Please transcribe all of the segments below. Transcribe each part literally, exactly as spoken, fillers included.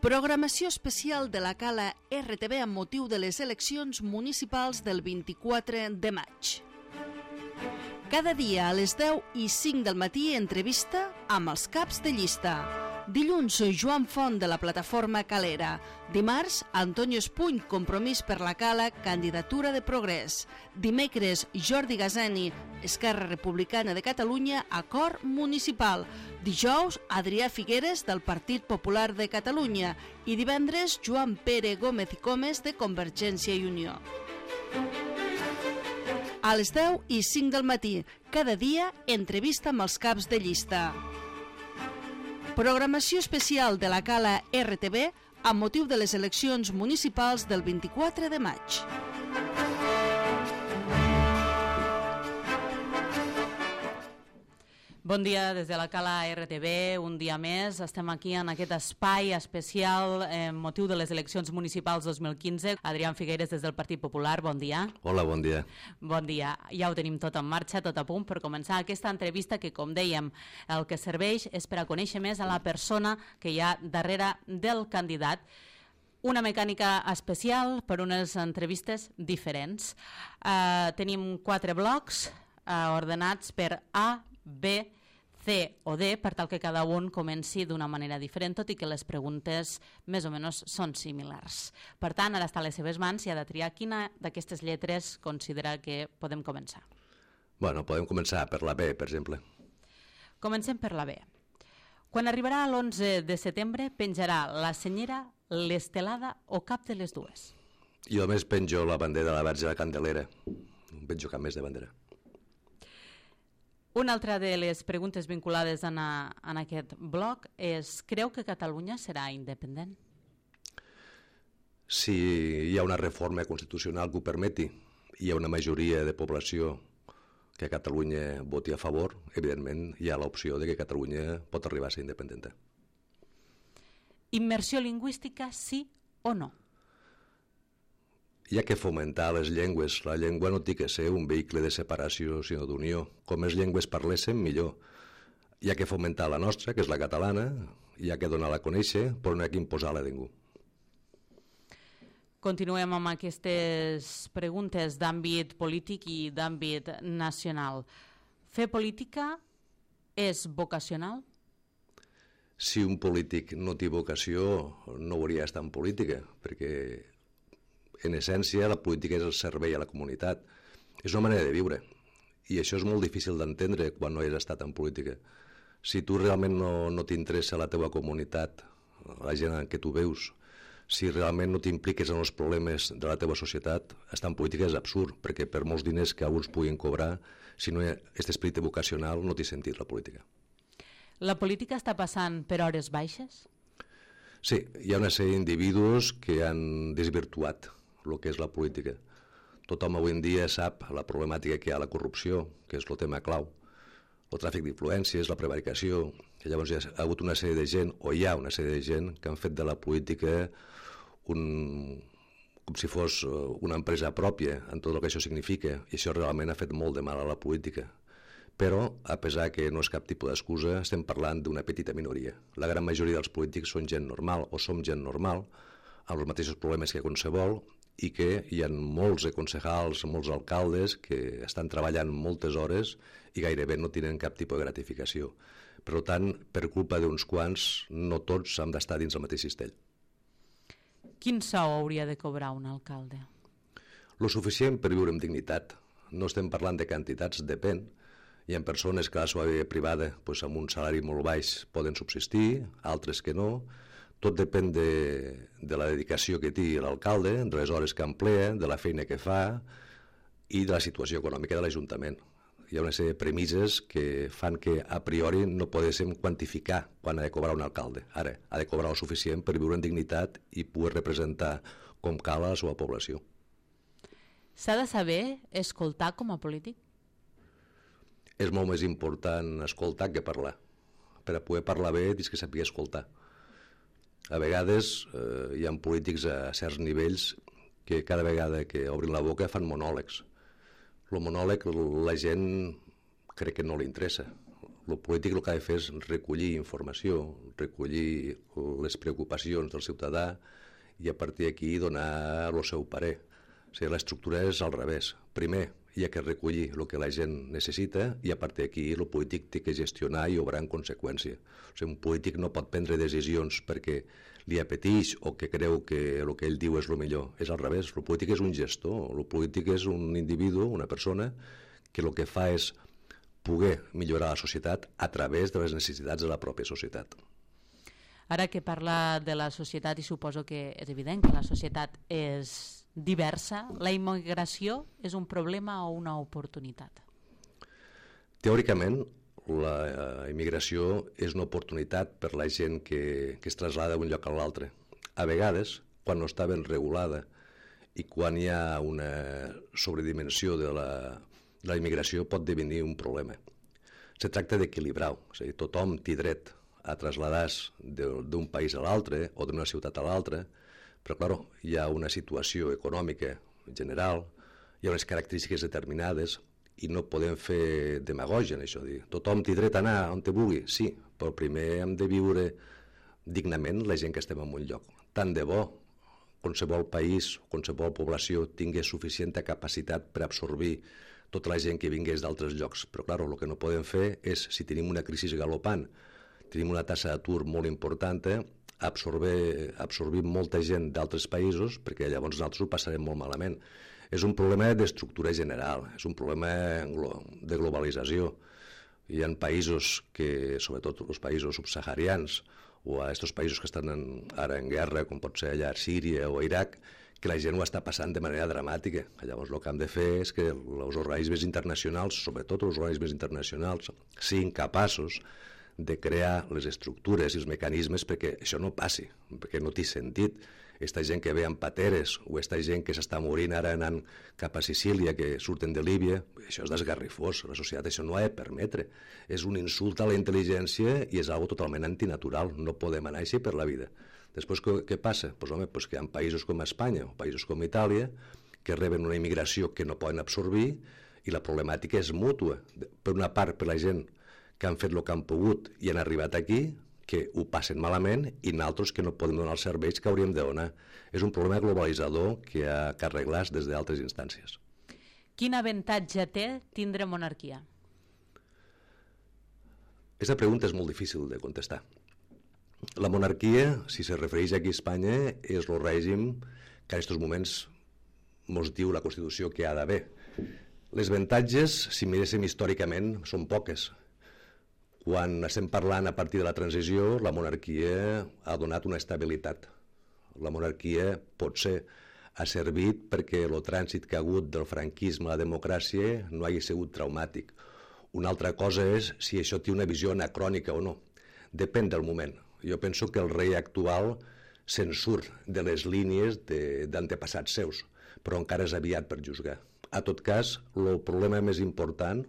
Programació especial de la Cala R T B amb motiu de les eleccions municipals del vint-i-quatre de maig. Cada dia a les deu i cinc del matí entrevista amb els caps de llista. Dilluns, Joan Font de la plataforma Calera. Dimarts, Antonio Espuny, Compromís per la Cala, candidatura de Progrés. Dimecres, Jordi Gazani, Esquerra Republicana de Catalunya, acord municipal. Dijous, Adrià Figueres, del Partit Popular de Catalunya. I divendres, Joan Pere Gómez i Comes, de Convergència i Unió. A les deu i cinc del matí, cada dia, entrevista amb els caps de llista. Programació especial de la Cala R T B amb motiu de les eleccions municipals del vint-i-quatre de maig. Bon dia des de la Cala R T B, un dia més. Estem aquí en aquest espai especial amb motiu de les eleccions municipals dos mil quinze. Adrià Figueres des del Partit Popular, bon dia. Hola, bon dia. Bon dia. Ja ho tenim tot en marxa, tot a punt per començar aquesta entrevista que, com dèiem, el que serveix és per a conèixer més a la persona que hi ha darrere del candidat. Una mecànica especial per unes entrevistes diferents. Uh, tenim quatre blocs uh, ordenats per A, B, C o D, per tal que cada un comenci d'una manera diferent, tot i que les preguntes més o menys són similars. Per tant, ara està a les seves mans i ha de triar quina d'aquestes lletres considera que podem començar. Bueno, podem començar per la B, per exemple. Comencem per la B. Quan arribarà l'onze de setembre, penjarà la senyera, l'estelada o cap de les dues? Jo més penjo la bandera de la Verge de la Candelera. No penjo cap més de bandera. Una altra de les preguntes vinculades en, a, en aquest bloc és: creu que Catalunya serà independent? Si hi ha una reforma constitucional que ho permeti, hi ha una majoria de població que Catalunya voti a favor, evidentment hi ha l'opció de que Catalunya pot arribar a ser independent. Immersió lingüística, sí o no? Hi ha que fomentar les llengües. La llengua no té que ser un vehicle de separació, sinó d'unió. Com més llengües parléssim, millor. Hi ha que fomentar la nostra, que és la catalana, hi ha que donar-la a conèixer, però no hi ha que imposar-la a ningú. Continuem amb aquestes preguntes d'àmbit polític i d'àmbit nacional. Fer política és vocacional? Si un polític no té vocació, no hauria d'estar en política, perquè en essència, la política és el servei a la comunitat. És una manera de viure. I això és molt difícil d'entendre quan no has estat en política. Si tu realment no, no t'interessa la teva comunitat, la gent en què tu veus, si realment no t'impliques en els problemes de la teva societat, estar en política és absurd, perquè per molts diners que alguns puguin cobrar, si no hi ha aquest esperit vocacional, no té sentit la política. La política està passant per hores baixes? Sí, hi ha una sèrie d'individus que han desvirtuat el que és la política. Tothom avui en dia sap la problemàtica que hi ha a la corrupció, que és el tema clau, el tràfic d'influències, la prevaricació, i llavors hi ha hagut una sèrie de gent, o hi ha una sèrie de gent, que han fet de la política un, com si fos una empresa pròpia en tot el que això significa, i això realment ha fet molt de mal a la política. Però, a pesar que no és cap tipus d'excusa, estem parlant d'una petita minoria. La gran majoria dels polítics són gent normal, o som gent normal, amb els mateixos problemes que qualsevol, i que hi ha molts concejals, molts alcaldes que estan treballant moltes hores i gairebé no tenen cap tipus de gratificació. Per tant, per culpa d'uns quants, no tots han d'estar dins el mateix cistell. Quin sou hauria de cobrar un alcalde? Lo suficient per viure amb dignitat. No estem parlant de quantitats, depèn. Hi ha persones que a la seva vida privada, doncs, amb un salari molt baix, poden subsistir, altres que no. Tot depèn de, de la dedicació que té l'alcalde, de les hores que emplea, de la feina que fa i de la situació econòmica de l'Ajuntament. Hi ha una sèrie de premisses que fan que a priori no podéssim quantificar quan ha de cobrar un alcalde. Ara, ha de cobrar el suficient per viure en dignitat i poder representar com cal a la seva població. S'ha de saber escoltar com a polític? És molt més important escoltar que parlar. Per a poder parlar bé, tens que saber escoltar. A vegades eh, hi ha polítics a certs nivells que cada vegada que obrin la boca fan monòlegs. El monòleg la gent crec que no li interessa. El polític el que ha de fer és recollir informació, recollir les preocupacions del ciutadà i a partir d'aquí donar el seu parer. O sigui, l'estructura és al revés. Primer hi ha que recollir el que la gent necessita i a partir d'aquí el polític té que gestionar i obrar en conseqüència. O sigui, un polític no pot prendre decisions perquè li apeteix o que creu que el que ell diu és el millor. És al revés. El polític és un gestor. El polític és un individu, una persona, que el que fa és poder millorar la societat a través de les necessitats de la pròpia societat. Ara que parla de la societat, i suposo que és evident que la societat és diversa, la immigració és un problema o una oportunitat? Teòricament, la immigració és una oportunitat per la gent que, que es traslada d'un lloc a l'altre. A vegades, quan no està ben regulada i quan hi ha una sobredimensió de la, de la immigració, pot devenir un problema. Se tracta d'equilibrar-ho, és a dir, tothom té dret a traslladar-se d'un país a l'altre o d'una ciutat a l'altra, però, clar, hi ha una situació econòmica general, hi ha unes característiques determinades i no podem fer demagògia en això. Dir, tothom té dret a anar on te vulgui, sí, però primer hem de viure dignament la gent que estem en un lloc. Tant de bo qualsevol país, qualsevol població tingui suficient capacitat per absorbir tota la gent que vingués d'altres llocs. Però, clar, el que no podem fer és, si tenim una crisi galopant, tenim una tassa d'atur molt important, absorbir, absorbir molta gent d'altres països, perquè llavors nosaltres ho passarem molt malament. És un problema d'estructura general, és un problema de globalització. Hi ha països que, sobretot els països subsaharians, o a aquests països que estan en, ara en guerra, com pot ser allà a Síria o a Iraq, que la gent ho està passant de manera dramàtica. Llavors el que hem de fer és que els organismes internacionals, sobretot els organismes internacionals, siguin capaços de crear les estructures i els mecanismes perquè això no passi, perquè no té sentit. Aquesta gent que ve amb pateres o aquesta gent que s'està morint ara anant cap a Sicília, que surten de Líbia, això és desgarrifós, la societat això no ha de permetre. És un insult a la intel·ligència i és algo totalment antinatural, no podem anar així per la vida. Després què, què passa? Pues, home, pues que hi ha països com Espanya o països com Itàlia que reben una immigració que no poden absorbir i la problemàtica és mútua. Per una part, per la gent que han fet el que han pogut i han arribat aquí, que ho passen malament, i naltros que no podem donar els serveis que hauríem de donar. És un problema globalitzador que ha que arreglar des d'altres instàncies. Quin avantatge té tindre monarquia? Aquesta pregunta és molt difícil de contestar. La monarquia, si se refereix aquí a Espanya, és el règim que en aquests moments ens diu la Constitució que ha d'haver. Les avantatges, si miréssim històricament, són poques. Quan estem parlant a partir de la transició, la monarquia ha donat una estabilitat. La monarquia potser ha servit perquè el trànsit que ha hagut del franquisme a la democràcia no hagi sigut traumàtic. Una altra cosa és si això té una visió anacrònica o no. Depèn del moment. Jo penso que el rei actual se'n surt de les línies d'antepassats seus, però encara és aviat per juzgar. A tot cas, el problema més important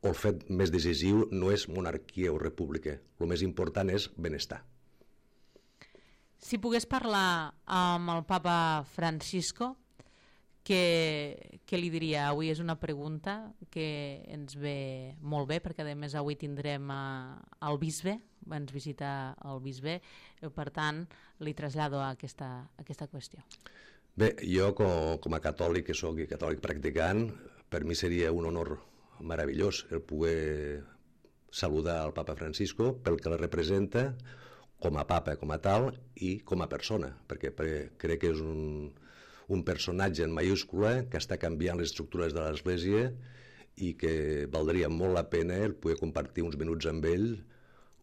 o el fet més decisiu no és monarquia o república, el més important és benestar. Si pogués parlar amb el papa Francisco, què, què li diria? Avui és una pregunta que ens ve molt bé, perquè a més avui tindrem el bisbe, ens visita el bisbe, per tant li trasllado a aquesta, a aquesta qüestió. Bé, jo com, com a catòlic, que soc catòlic practicant, per mi seria un honor meravellós el poder saludar al papa Francisco pel que la representa com a papa, com a tal, i com a persona, perquè crec que és un, un personatge en mayúscula que està canviant les estructures de l'Església i que valdria molt la pena el poder compartir uns minuts amb ell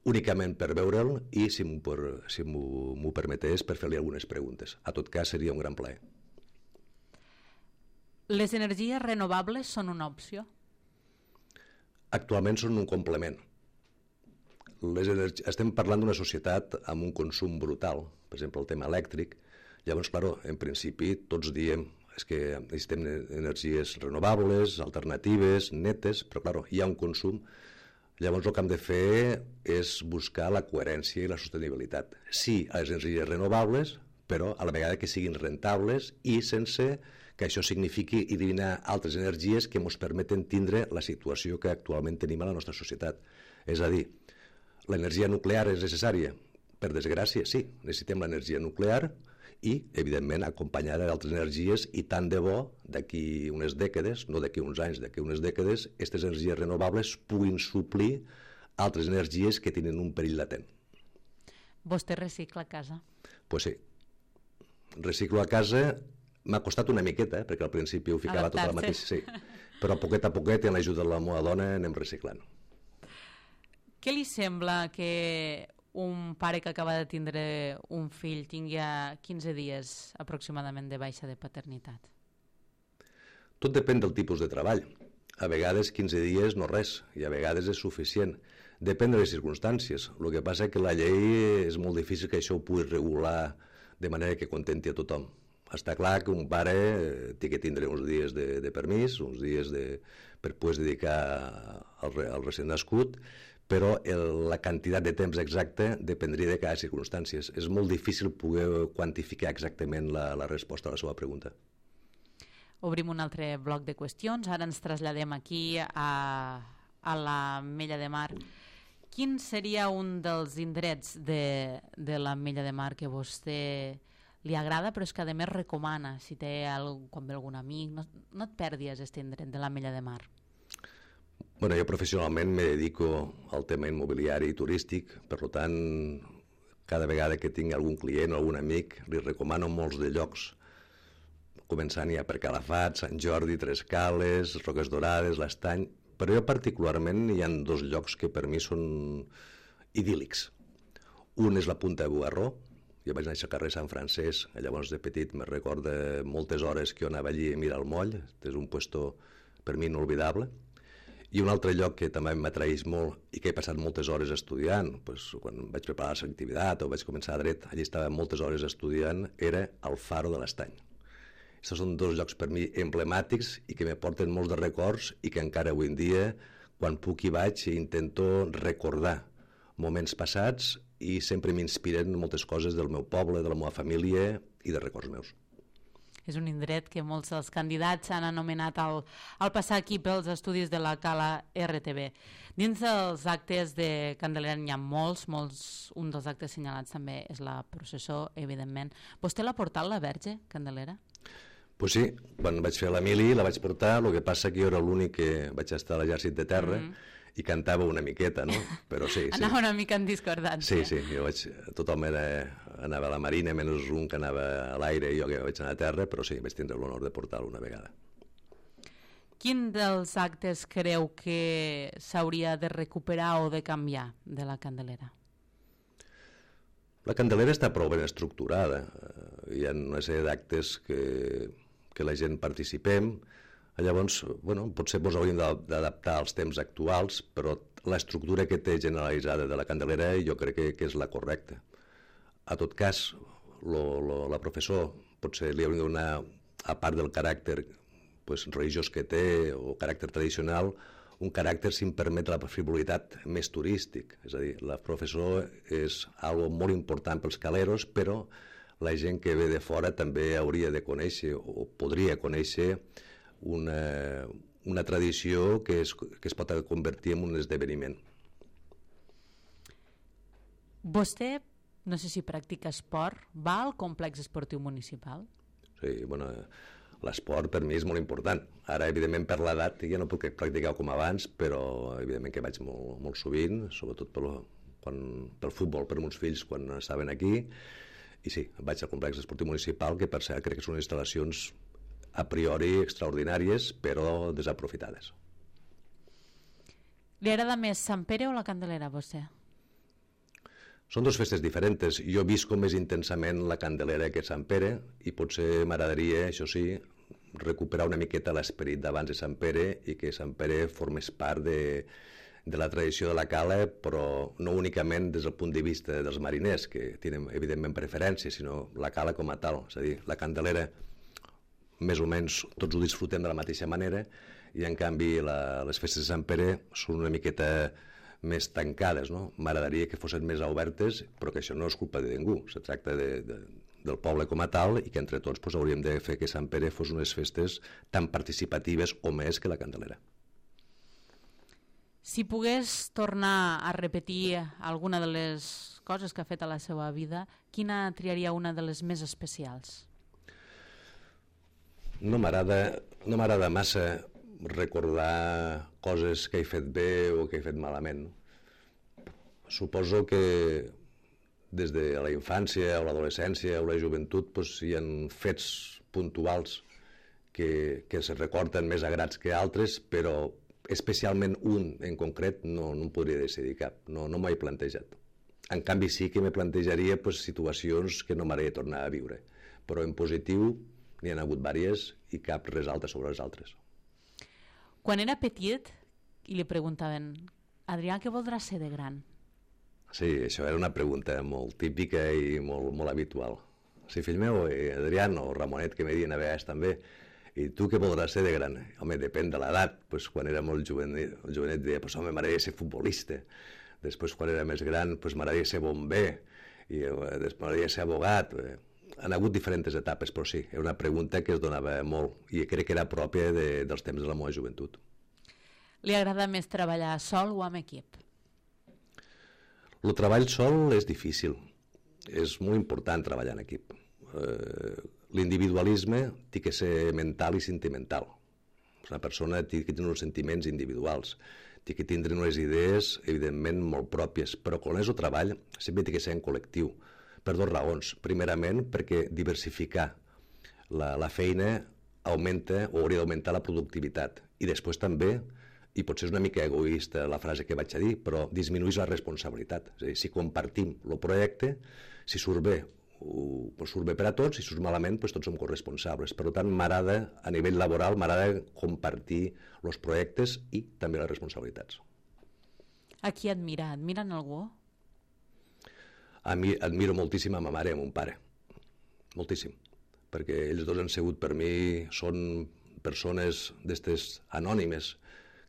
únicament per veure'l i, si m'ho si m'ho permetés, per fer-li algunes preguntes. A tot cas, seria un gran plaer. Les energies renovables són una opció? Actualment són un complement. Les energi... Estem parlant d'una societat amb un consum brutal, per exemple el tema elèctric. Llavors, clar, en principi tots diem és que necessitem energies renovables, alternatives, netes, però clar, hi ha un consum. Llavors el que hem de fer és buscar la coherència i la sostenibilitat. Sí a les energies renovables, però a la vegada que siguin rentables i sense que això signifiqui eliminar altres energies que ens permeten tindre la situació que actualment tenim a la nostra societat. És a dir, l'energia nuclear és necessària? Per desgràcia, sí, necessitem l'energia nuclear i, evidentment, acompanyada d'altres energies i tant de bo, d'aquí unes dècades, no d'aquí uns anys, d'aquí unes dècades, aquestes energies renovables puguin suplir altres energies que tenen un perill latent. Vostè recicla a casa? Doncs pues sí. Reciclo a casa m'ha costat una miqueta, eh, perquè al principi ho ficava tot al mateix, sí. Però poquet a poquet, amb l'ajuda de la meva dona, anem reciclant. Què li sembla que un pare que acaba de tindre un fill tingui quinze dies aproximadament de baixa de paternitat? Tot depèn del tipus de treball. A vegades quinze dies no res, i a vegades és suficient. Depèn de les circumstàncies. El que passa és que la llei és molt difícil que això ho pugui regular de manera que contenti a tothom. Està clar que un pare té que tindre uns dies de, de permís, uns dies de, per poder dedicar al, al recent nascut, però el, la quantitat de temps exacte dependria de cada circumstància. És molt difícil poder quantificar exactament la, la resposta a la seva pregunta. Obrim un altre bloc de qüestions. Ara ens traslladem aquí a, a l'Ametlla de Mar. Quin seria un dels indrets de, de l'Ametlla de Mar que vostè li agrada, però és que a més recomana, si té algun, quan ve algun amic, no, no et perdis aquest indret de l'Ametlla de Mar? Bueno, jo professionalment me dedico al tema immobiliari i turístic, per tant, cada vegada que tinc algun client o algun amic, li recomano molts de llocs, començant ja per Calafat, Sant Jordi, Tres Cales, Roques Dorades, l'Estany, però jo particularment hi ha dos llocs que per mi són idíl·lics. Un és la Punta de Bugarró. Jo vaig néixer al carrer Sant Francesc, llavors de petit me recorda moltes hores que jo anava allí a mirar el moll, és un puesto per mi inolvidable. I un altre lloc que també m'atraeix molt i que he passat moltes hores estudiant, doncs, quan vaig preparar l'activitat o vaig començar a dret, allí estava moltes hores estudiant, era el Faro de l'Estany. Aquests són dos llocs per mi emblemàtics i que me porten molts de records i que encara avui en dia, quan puc hi vaig, intento recordar moments passats i sempre m'inspiren moltes coses del meu poble, de la meva família i de records meus. És un indret que molts dels candidats han anomenat al, al passar aquí pels estudis de la Cala R T V. Dins dels actes de Candelera n'hi ha molts, molts, un dels actes assenyalats també és la processó, evidentment. Vostè l'ha portat la Verge, Candelera? Pues sí, quan vaig fer la mili la vaig portar, el que passa que jo era l'únic que vaig estar a l'exèrcit de terra, mm-hmm. i cantava una miqueta, no? Però sí, sí. Anava una mica en discordància. Sí, sí, jo vaig, tothom era, anava a la marina, menys un que anava a l'aire i jo que vaig anar a terra, però sí, vaig tindre l'honor de portar-lo una vegada. Quin dels actes creu que s'hauria de recuperar o de canviar de la Candelera? La Candelera està prou ben estructurada. Hi ha una sèrie d'actes que, que la gent participem. Llavors, bueno, potser ens hauríem d'adaptar als temps actuals, però l'estructura que té generalitzada de la Candelera jo crec que, que és la correcta. A tot cas, lo, lo, la professor potser li hauria de donar, a part del caràcter pues, religiós que té o caràcter tradicional, un caràcter, si em permet, la frivolitat més turístic. És a dir, la professor és algo molt important pels caleros, però la gent que ve de fora també hauria de conèixer o podria conèixer Una, una tradició que es, que es pot convertir en un esdeveniment. Vostè, no sé si practica esport, va al complex esportiu municipal? Sí, bueno, l'esport per mi és molt important. Ara, evidentment, per l'edat ja no puc practicar com abans, però evidentment que vaig molt, molt sovint, sobretot pel, quan, pel futbol, per meus fills quan estaven aquí, i sí, vaig al complex esportiu municipal, que per cert crec que són instal·lacions a priori extraordinàries, però desaprofitades. Li agrada més Sant Pere o la Candelera, vostè? Són dues festes diferents. Jo visco més intensament la Candelera que Sant Pere i potser m'agradaria, això sí, recuperar una miqueta l'esperit d'abans de Sant Pere i que Sant Pere formés part de, de la tradició de la cala, però no únicament des del punt de vista dels mariners, que tenen evidentment preferència, sinó la cala com a tal. És a dir, la Candelera més o menys tots ho disfrutem de la mateixa manera i en canvi la, les festes de Sant Pere són una miqueta més tancades, no? M'agradaria que fossin més obertes, però que això no és culpa de ningú, se tracta de, de, del poble com a tal i que entre tots pues, hauríem de fer que Sant Pere fos unes festes tan participatives o més que la Candelera. Si pogués tornar a repetir alguna de les coses que ha fet a la seva vida, quina triaria una de les més especials? No m'agrada no m'agrada massa recordar coses que he fet bé o que he fet malament. Suposo que des de la infància o l'adolescència o la joventut pues, hi ha fets puntuals que, que se recorden més agrats que altres, però especialment un en concret no, no em podria decidir cap, no, no m'ho he plantejat. En canvi sí que me plantejaria pues, situacions que no m'agradaria tornar a viure, però en positiu n'hi ha hagut diverses i cap resalta sobre les altres. Quan era petit i li preguntaven Adrià, què voldràs ser de gran? Sí, això era una pregunta molt típica i molt, molt habitual. Sí, fill meu, eh, Adrián o Ramonet, que me diuen a vegades també, i tu què voldràs ser de gran? Home, depèn de l'edat. Pues, quan era molt jovenet, jovenet deia, pues, home, m'agradaria ser futbolista. Després, quan era més gran, pues, m'agradaria ser bomber. I eh, després m'agradaria ser abogat. Eh, han hagut diferents etapes, però sí, era una pregunta que es donava molt i crec que era pròpia de, dels temps de la meva joventut. Li agrada més treballar sol o amb equip? El treball sol és difícil. És molt important treballar en equip. Eh, l'individualisme té que ser mental i sentimental. Una persona té que tenir uns sentiments individuals, té que tindre unes idees, evidentment, molt pròpies, però quan és el treball sempre té que ser en col·lectiu, per dues raons. Primerament, perquè diversificar la, la feina augmenta o hauria d'augmentar la productivitat. I després també, i potser és una mica egoista la frase que vaig a dir, però disminueix la responsabilitat. És a dir, si compartim el projecte, si surt bé, ho, pues surt bé per a tots, si surt malament, pues tots som corresponsables. Per tant, m'agrada, a nivell laboral, m'agrada compartir els projectes i també les responsabilitats. A qui admira? Admiren algú? A mi admiro moltíssim a ma mare i a mon pare. Moltíssim. Perquè ells dos han sigut per mi, són persones d'estes anònimes,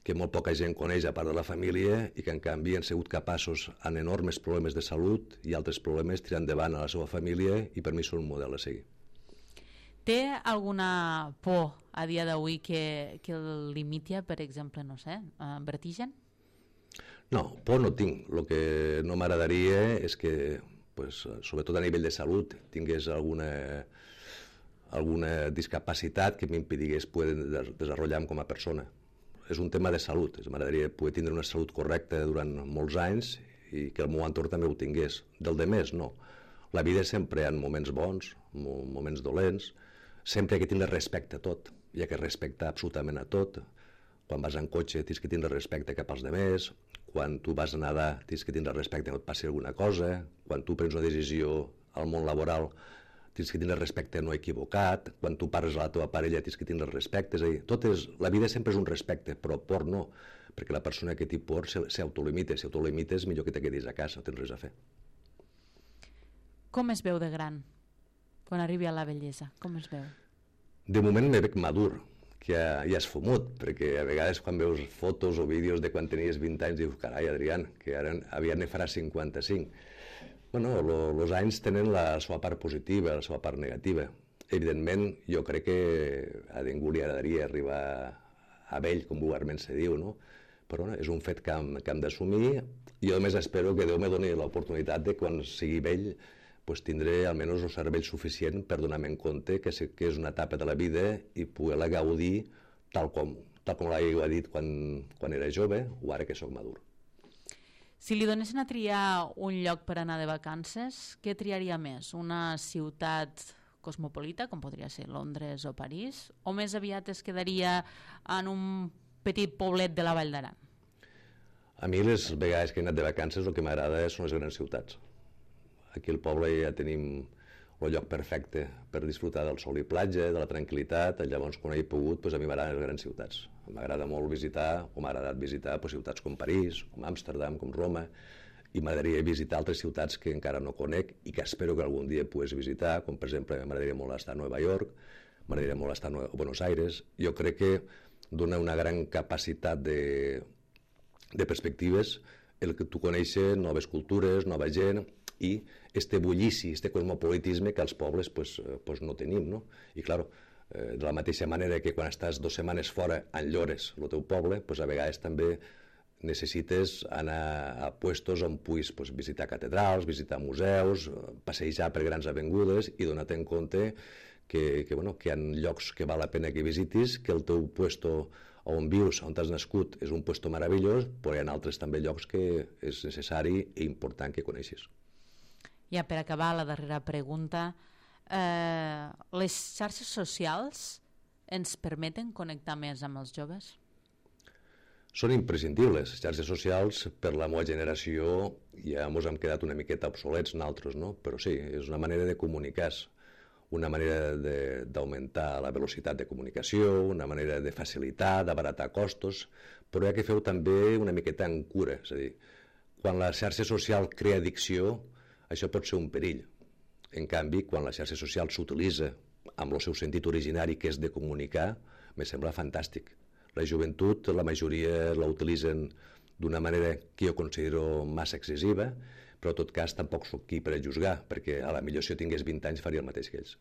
que molt poca gent coneix a part de la família i que en canvi han sigut capaços en enormes problemes de salut i altres problemes tirar endavant a la seva família i per mi són un model a seguir. Té alguna por a dia d'avui que, que el limiti, per exemple, no sé, eh, vertigen? No, por no tinc. El que no m'agradaria és que, pues, sobretot a nivell de salut, tingués alguna, alguna discapacitat que m'impedigués poder desenvolupar-me com a persona. És un tema de salut, m'agradaria poder tindre una salut correcta durant molts anys i que el meu entorn també ho tingués. Del de més, no. La vida sempre hi ha moments bons, moments dolents, sempre hi ha que tindre respecte a tot, hi ha que respectar absolutament a tot. Quan vas en cotxe tens que tindre respecte cap als demés, quan tu vas a nedar tens que tindre respecte que no et passi alguna cosa, quan tu prens una decisió al món laboral tens que tindre respecte no equivocat, quan tu parles a la teva parella tens que tindre respecte, és a dir, tot és, la vida sempre és un respecte, però por no, perquè la persona que té por s'autolimita, si autolimites millor que te quedis a casa, no tens res a fer. Com es veu de gran, quan arribi a la vellesa? Com es veu? De moment me veig madur, que ja, ja has fumut, perquè a vegades quan veus fotos o vídeos de quan tenies vint anys dius, carai, Adrián, que ara aviat ne farà cinquanta-cinc. Bueno, els anys tenen la seva part positiva, la seva part negativa. Evidentment, jo crec que a ningú li agradaria arribar a vell, com vulgarment se diu, no? Però no, és un fet que hem, que hem d'assumir. Jo només espero que Déu me doni l'oportunitat de quan sigui vell pues, tindré almenys el cervell suficient per donar-me en compte que, sé que és una etapa de la vida i poder-la gaudir tal com, tal com l'havia dit quan, quan era jove o ara que sóc madur. Si li donessin a triar un lloc per anar de vacances, què triaria més? Una ciutat cosmopolita, com podria ser Londres o París, o més aviat es quedaria en un petit poblet de la Vall d'Aran? A mi les vegades que he anat de vacances el que m'agrada són les grans ciutats. Aquí al poble ja tenim el lloc perfecte per disfrutar del sol i platja, de la tranquil·litat, llavors quan he pogut, doncs a mi m'agraden les grans ciutats. M'agrada molt visitar, o m'ha agradat visitar doncs, ciutats com París, com Amsterdam, com Roma, i m'agradaria visitar altres ciutats que encara no conec i que espero que algun dia pogués visitar, com per exemple m'agradaria molt estar a Nova York, m'agradaria molt estar a Buenos Aires. Jo crec que dona una gran capacitat de, de perspectives el que tu coneixes noves cultures, nova gent, i este bullici, este cosmopolitisme que els pobles pues, pues no tenim, no? I, clar, de la mateixa manera que quan estàs dues setmanes fora enllores el teu poble, pues, a vegades també necessites anar a puestos on puguis pues, visitar catedrals, visitar museus, passejar per grans avingudes i donar-te en compte que, que, bueno, que hi ha llocs que val la pena que visitis, que el teu puesto on vius, on t'has nascut, és un puesto meravellós, però hi ha altres també llocs que és necessari i important que coneixis. Ja per acabar, la darrera pregunta. Eh, les xarxes socials ens permeten connectar més amb els joves? Són imprescindibles. Les xarxes socials, per la meva generació, ja ens hem quedat una miqueta obsolets nosaltres, no? Però sí, és una manera de comunicar-se, una manera d'augmentar la velocitat de comunicació, una manera de facilitar, d'abaratar costos, però hi ha que fer-ho també una miqueta en cura. És a dir, quan la xarxa social crea addicció, això pot ser un perill. En canvi, quan la xarxa social s'utilitza amb el seu sentit originari, que és de comunicar, me sembla fantàstic. La joventut, la majoria la utilitzen d'una manera que jo considero massa excessiva, però en tot cas tampoc soc qui per a juzgar, perquè a la millor si jo tingués vint anys faria el mateix que ells.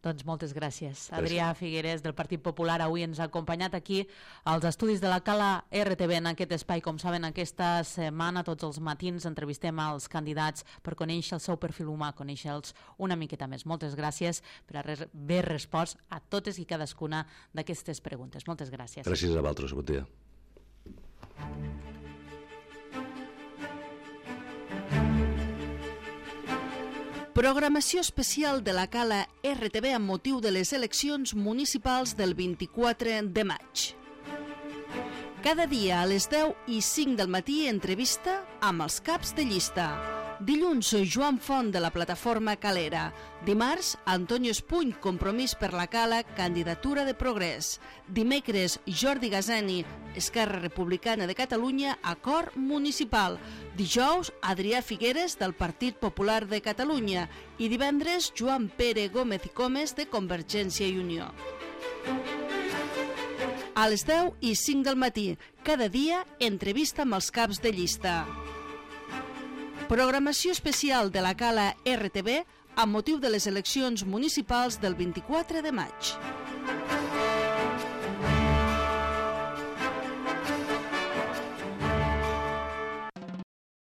Doncs moltes gràcies. Adrià Figueres, del Partit Popular, avui ens ha acompanyat aquí als estudis de la Cala R T V en aquest espai. Com saben, aquesta setmana, tots els matins, entrevistem als candidats per conèixer el seu perfil humà, conèixer-los una miqueta més. Moltes gràcies per haver respost a totes i cadascuna d'aquestes preguntes. Moltes gràcies. Gràcies a vosaltres, bon dia. Programació especial de la Cala R T V amb motiu de les eleccions municipals del vint-i-quatre de maig. Cada dia a les deu i cinc del matí entrevista amb els caps de llista. Dilluns, Joan Font, de la plataforma Calera. Dimarts, Antonio Espuny, Compromís per la Cala, candidatura de Progrés. Dimecres, Jordi Gazani, Esquerra Republicana de Catalunya, acord municipal. Dijous, Adrià Figueres, del Partit Popular de Catalunya. I divendres, Joan Pere Gómez i Comes, de Convergència i Unió. A les deu i cinc del matí, cada dia, entrevista amb els caps de llista. Programació especial de la Cala R T V amb motiu de les eleccions municipals del vint-i-quatre de maig.